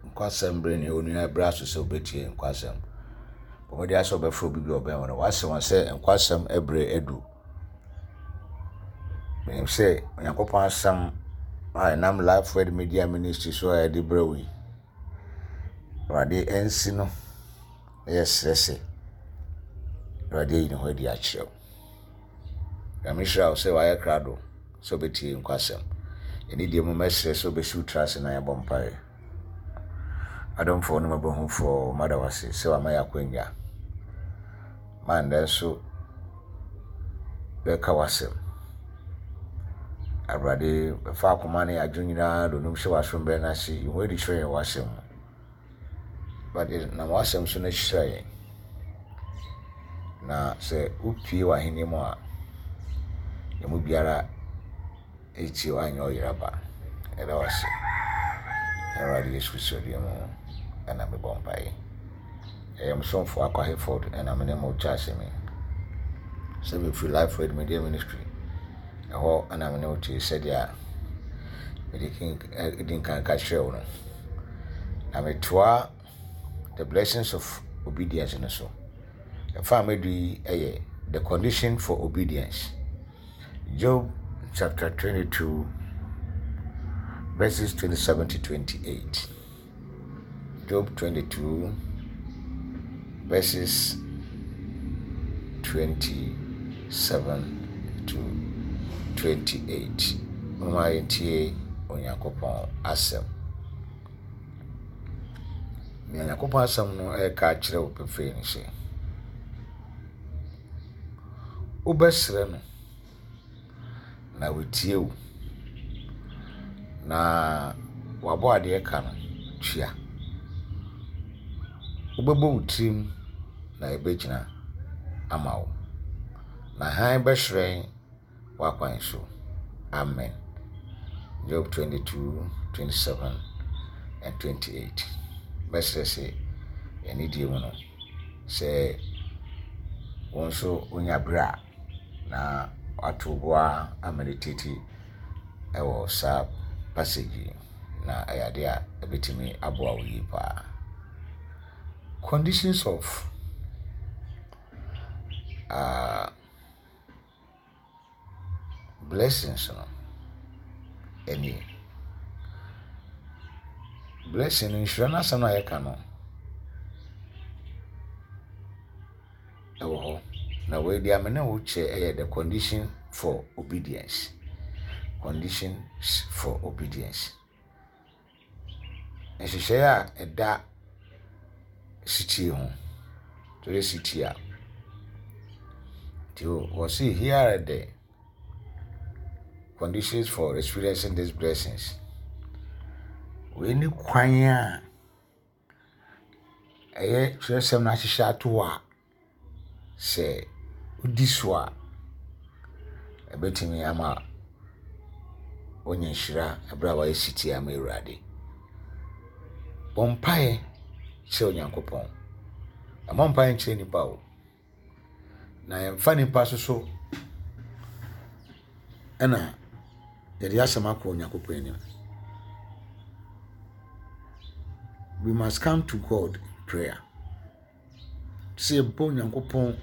Nkwasɛm bere ne onua bere aso sɛ wobɛtie nkwasɛm. Bɔ mmɔden ara sɛ wobɛfrɛ obi bi a ɔbɛn wo no. Wase wɔn sɛ nkwasɛm bere adu. Menim sɛ Onyankopɔn asɛm a ɛnam Life Word Media Ministry so a yɛde brɛ wo yi, Awurade ansi no na yɛsrɛ sɛ Awurade ayi ne ho adi akyerɛ wo. Nyame hyira wo sɛ wayɛ krado sɛ wobɛtie nkwasɛm. Ɛne deɛ mu mɛsrɛ sɛ wobɛsi wo tiri ase na yɛabɔ mpaeɛ. Adomfoɔ ne mmɔborɔhunufoɔ, mada wo ase sɛ wama yɛ akwanya ma nnɛ nso bɛka w'asɛm. Awurade, bɛfa akoma ne adwene nyinaa donom hyɛ w'asom berɛ no ase, yi ho adi kyerɛ yɛn w'asɛm mu. Awurade, nam w'asɛm so na hyira yɛn. Na sɛ wopue w'ahenni mu a, yɛn mu biara Ekyir ɔannyɛ ɔyer aba. Yɛda wo ase. Awurade Yesu Kristo din mu na mebɔ mpae. Ɛyɛ mo somfo Akwa Hayford na me ne mo kyɛ asɛm yi. Sɛ mefiri Life Word Media Ministry, ɛhɔ na me ne wo te sɛdeɛ mede di nkan ka kyerɛ wo no. Na metoa The Blessings of Obedience no so. Ɛfa a madu yi yɛ The Condition for Obedience. Job chapter 22, verses 27 to 28. Job 22, verses 27 to 28. Momma yɛntie Onyankopɔn asɛm. Nea Onyankopɔn asɛm no reka akyerɛ wo pefee ne sɛ, wobɛsrɛ no na watie wo, na w'abɔadeɛ ka no tua. Wobɛbɔ wo tirim na ɛbɛgyina ama wo, na hann bɛhyerɛn w'akwan so. Amen. Job 22, 27 and 28. Mɛsrɛ sɛ anidie mu no, sɛ wo nso wonya berɛ a na wato bo ara ameditate wɔ saa passage yi na ɛyɛ adeɛ a ɛbɛtumi aboa wo yie paa. Conditions of uh, Blessings no nie. Blessing no, nhyira no asɛm a yɛka no, ɛwɔ hɔ. Na wei deɛ me ne wo kyɛ yɛ the condition for obedience. Conditions for obedience. Nhyehyɛe a ɛda setie ho. Sɛ woyɛ setie a, nti wɔse here are the conditions for experiencing these blessings. Wei ne kwan a ɛyɛ twerɛsɛm no ahyehyɛ ato hɔ a sɛ wodi so a, ɛbɛtumi ama woanya nhyira berɛ a woayɛ setie ama Awurade. Bɔ mpaeɛ kyerɛ Onyankopɔn. Mmɔ mpaeɛ nkyerɛ nnipa o. Na yɛmfa nnipa so so ɛna yɛde asɛm akɔ Onyankopɔn anim. We must come to God in prayer. Sɛ yɛba Onyankopɔn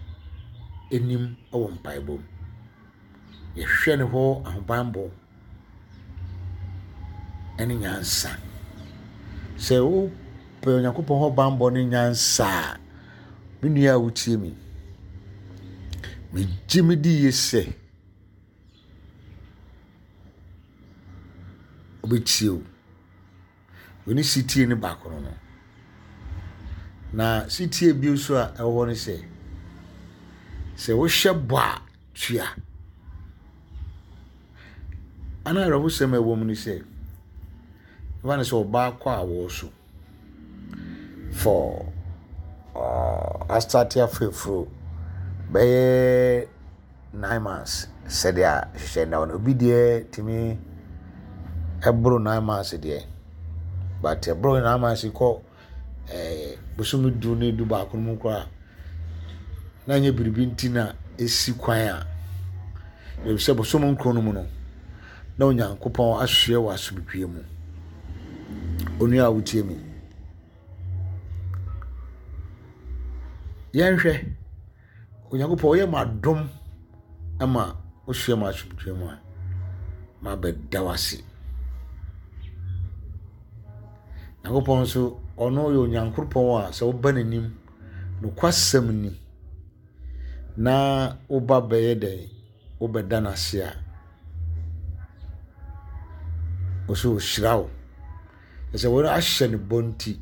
anim wɔ mpaebɔ mu. Yɛhwehwɛ ne hɔ ahobanbɔ ne nyansa. Sɛ wopɛ Onyankopɔn hɔ banbɔ ne nyansa a, me nua a wotie me, megye me di yie sɛ ɔbɛtie wo. Wei ne setie no baako no no. Na setie bio nso a ɛwɔ hɔ ne sɛ, sɛ wohyɛ bɔ a, tua. Ana awerɛhosɛm a ɛwɔ mu ne sɛ, ɛba no sɛ ɔbaa kɔ awoɔ so for uh, astate afrɛfuro bɛyɛ 9 months sɛdeɛ nhyehyɛe no da hɔ no. Obi deɛ tumi boro 9 months deɛ, but ɛboro 9 months kɔ bosome du ne du baako no mu koraa a, na ɛnyɛ biribi nti na ɛsi kwan a, efisɛ bosome nkron no mu no, na Onyankopɔn asoɛ wɔ asomdwoeɛ mu. Onua a wotie me. Yɛnhwɛ, Onyankopɔn ɔyɛ mo adom ma wohyia mo asomdwoe mu a, mabɛda wo ase. Nyankopɔn nso, ɔno yɛ Onyankopɔn a sɛ woba n'anim, nokwasɛm ni, na woba bɛyɛ dɛn, wobɛda no ase a, ɔsɛ ɔhyira wo. Ɛsɛ wɔn ahyɛ no bɔ nti,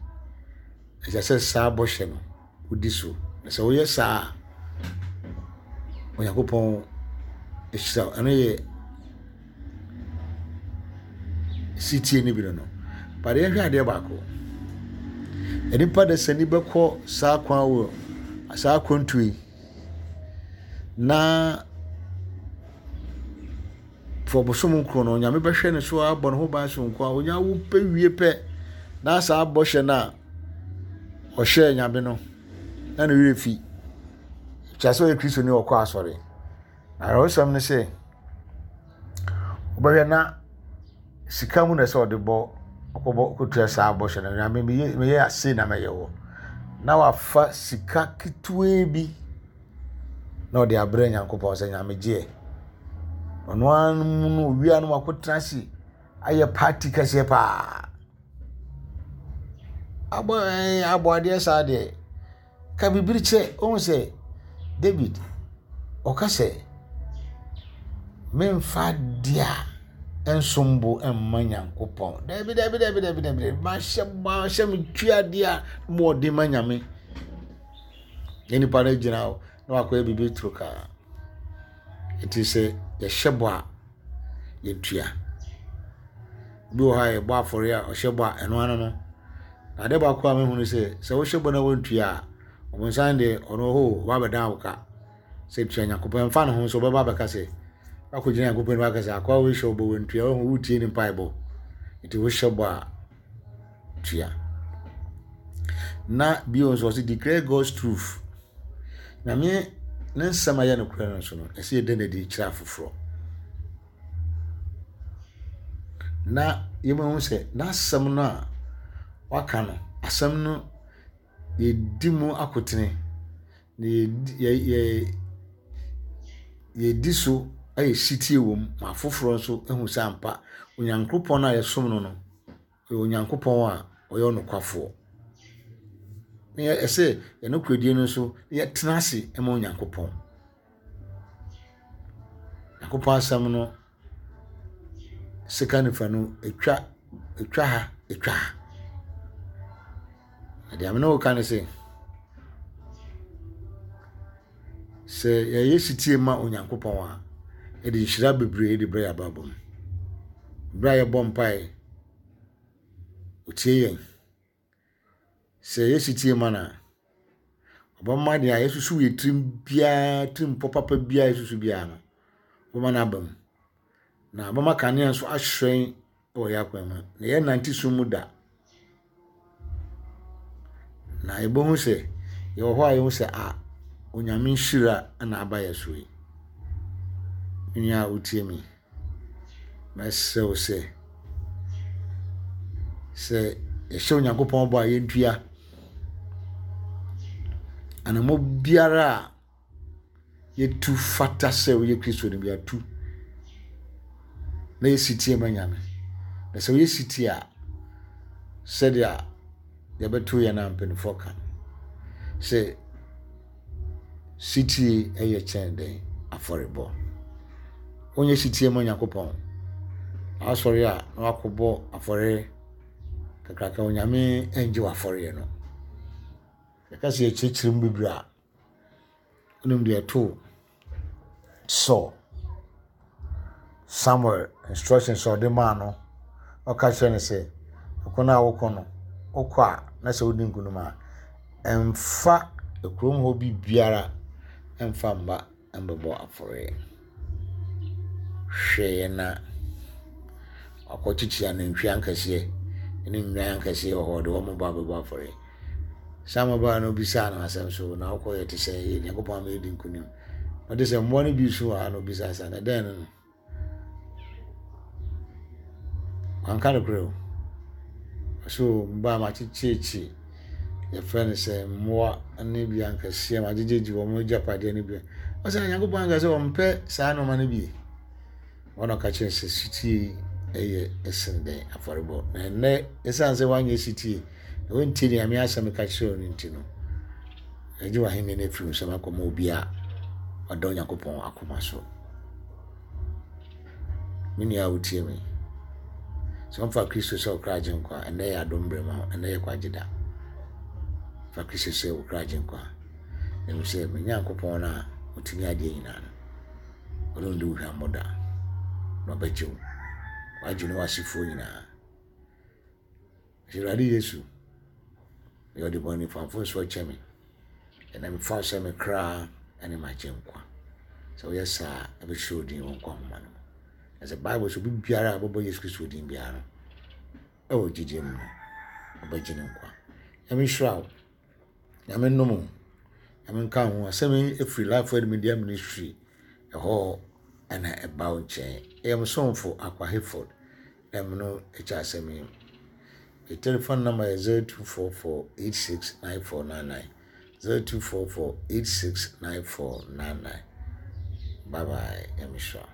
ɛsɛ sɛ saa bɔhyɛ no wodi so. Na sɛ woyɛ saa a, Onyankopɔn hyira wo. Ɛno yɛ setie no bi no no. But yɛhwɛ adeɛ baako. Nnipa dasani bɛkɔ saa kwan wɔ saa akwantuo yi na for bosom nkron no, Onyame bɛhwɛ no so abɔ ne ho ban sononko a onya wo pɛ wie pɛ na saa bɔhyɛ no a ɔhyɛɛ Nyame no na ne werɛ fi. Kyerɛ sɛ ɔyɛ Kristoni ɔkɔ asɔre. Na awerɛhosɛm ne sɛ wobɛhwɛ na sika mu na ɛsɛ ɔde bɔ ɔkɔbɔ kɔtua saa bɔhyɛ no. Nyame meyɛ meyɛ ase na mɛyɛ wɔ. Na wafa sika ketewaa bi na ɔde abrɛ Nyankopɔn sɛ Nyame gyeɛ. Ɔno ara mu no owia no wakɔtena ase ayɛ party kɛseɛ paa. Abɔ ɛɛ abɔ adeɛ saa deɛ, ka biribi kyerɛ. Wohu sɛ David ɔka sɛ, memfa adeɛ a ɛnsom bo mma Nyankopɔn. Dabi dabi dabi dabi dabi mahyɛ mahyɛ metua adeɛ a mu ɔden ma Nyame. Na nipa no gyina hɔ na wakɔyɛ biribi toro kaa. Nti sɛ yɛhyɛ bɔ a, yɛtua. Obi wɔ hɔ a yɛbɔ afɔre a ɔhyɛ bɔ a ɛno ano no. Na adeɛ baako a mehu ne sɛ, sɛ wohyɛ bɔ na wontua a, ɔbonsam deɛ ɔno hɔ o, ɔba abɛdan wo ka. Sɛ tua Nyankopɔn, ɛmfa ne ho nso ɔbɛba abɛka sɛ, wakɔgyina Nyankopɔn anim aka sɛ, akoa wei hyɛ wo bɔ wantua, wahu wotie ne mpaebɔ. Nti wohyɛ bɔ a, tua. Na bio nso ɔse declare God's truth. Nyame ne nsɛm a ɛyɛ nokorɛ no nso no, ɛsɛ yɛda no adi kyerɛ afoforɔ. Na yɛmahu sɛ n'asɛm no a waka no, asɛm no yɛdi mu akotene, na yɛ yɛdi so ayɛ setie wɔ mu ma afoforɔ nso ahu sɛ ampa Onyankopɔn a yɛsom no no, ɔyɛ Onyankopɔn a ɔyɛ ɔnokwafoɔ. Na ɛsɛ yɛn nokorɛdie no nso yɛtena ase ma Onyankopɔn. Nyankopɔn asɛm no sika nifa no ɛtwa ɛtwa ha ɛtwa ha. Na deɛ me ne wo ka ne sɛ, sɛ yɛyɛ setie ma Onyankopɔn a, ɛde nhyira bebree de brɛ yɛn abrabɔ mu. Berɛ a yɛbɔ mpaeɛ, ɔtie yɛn. Sɛ yɛyɛ setie ma no a, ɔbɛma deɛ yɛsusu yɛn tirim biara, tirimpɔ papa biara a yɛsusu biara no, ɔbɛma no aba mu. Na ɔbɛma kanea nso ahyerɛn wɔ yɛn akwan mu, na yɛrennante sum mu da. Na yɛbɛhu sɛ yɛwɔ hɔ a yɛhu sɛ a Onyame nhyira na aba yɛn so yi. Me nua a wotie me, mɛsrɛ wo sɛ, sɛ yɛhyɛ Onyankopɔn bɔ a yɛntua anammɔ biara a yɛtu fata sɛ woyɛ Kristoni bi atu na yɛ setie ma Nyame. Na sɛ woyɛ setie a, sɛdeɛ yɛbɛto yɛn a mpanimfoɔ ka no, sɛ setie yɛ kyɛn dɛn afɔrebɔ. Wonyɛ setie ma Onyankopɔn, na wasɔre a na wakɔbɔ afɔre kakraka, Onyame ngye w'afɔreɛ no. Yɛka sɛ yɛkyerɛkyerɛ mu bebree a, Wonim deɛ ɛtoo Saul? Samuel instructions a ɔde maa no, ɔka kyerɛ no sɛ, ɔko no a wokɔ no, wokɔ a na sɛ wodi nkonim a, mfa kurom hɔ biribiara mfa mma mbɛbɔ afɔreɛ. Hwɛeɛ na wakɔkyekye anantwie akɛseɛ ne nnwan akɛseɛ wɔ hɔ, ɔde wɔn ba abɛbɔ afɔreɛ. Samuel baa no obisaa no asɛm so, na wokɔyɛ te sɛ yɛ Nyankopɔn ama yɛdi nkonim. Ɔde sɛ mmoa no bi su wɔ ha na obisaa sɛ, na dɛn no no? Wanka nokorɛ o. Ɔsɛ o, mbaa makyekyeekye. yɛfrɛ no sɛ mmoa ne bi ankɛseɛ ma agyegyegye wɔn agyapadeɛ no bi. Ɔsɛ na Nyankopɔn anka sɛ ɔmpɛ saa nneɛma no bi. Wɔn na ɔka kyerɛ sɛ sutie yɛ ɛsen dɛn afɔrebɔ. Na ɛnnɛ ɛsiane sɛ woanyɛ sutie na wontie deɛ Nyame asɛm ka kyerɛ wo no nti no, ɛgye w'ahenni no afiri wo nsam akɔma obi a ɔda Onyankopɔn akoma so. Me nua a wotie me, sɛ wɔmfa Kristo sɛ ɔkra agyenkwa a, ɛnnɛ yɛ adom berɛ ma wo, ɛnnɛ yɛ kwagye da. Fa Kristo sɛ wo kra agyenkwa. Na hu sɛ me Nyankopɔn no a ɔtumi adeɛ nyinaa no, ɔrenni wo hwammɔ da, na ɔbɛgye wo. Wagye ne w'asefoɔ nyinaa. Awurade Yesu, meyɛ ɔdebɔneyɛfo fa mfomsoɔ kyɛ me. Ɛnna mefa wo sɛ me kra ne m'agyenkwa. Sɛ woyɛ saa a, ɛbɛhyerɛ wo din wɔ nkwa nhoma no mu. Na sɛ Bible sɛ obi biara a ɔbɛbɔ Yesu Kristo din biara no, ɛwɔ gyidie mu no, ɔbɛgye no nkwa. Nyame nhyira wo. Nyame nnom wo. Nyame nka wo ho. Asɛm yi ɛfiri Life Word Media Ministry ɛhɔ ɛna ɛba wo nkyɛn. Ɛyɛ mo somfo Akwa Hayford. Dɛm no kyɛ asɛm yi. Me telephone number yɛ 0244 869499. 0244 869499. Bye bye. Nyame hyira wo.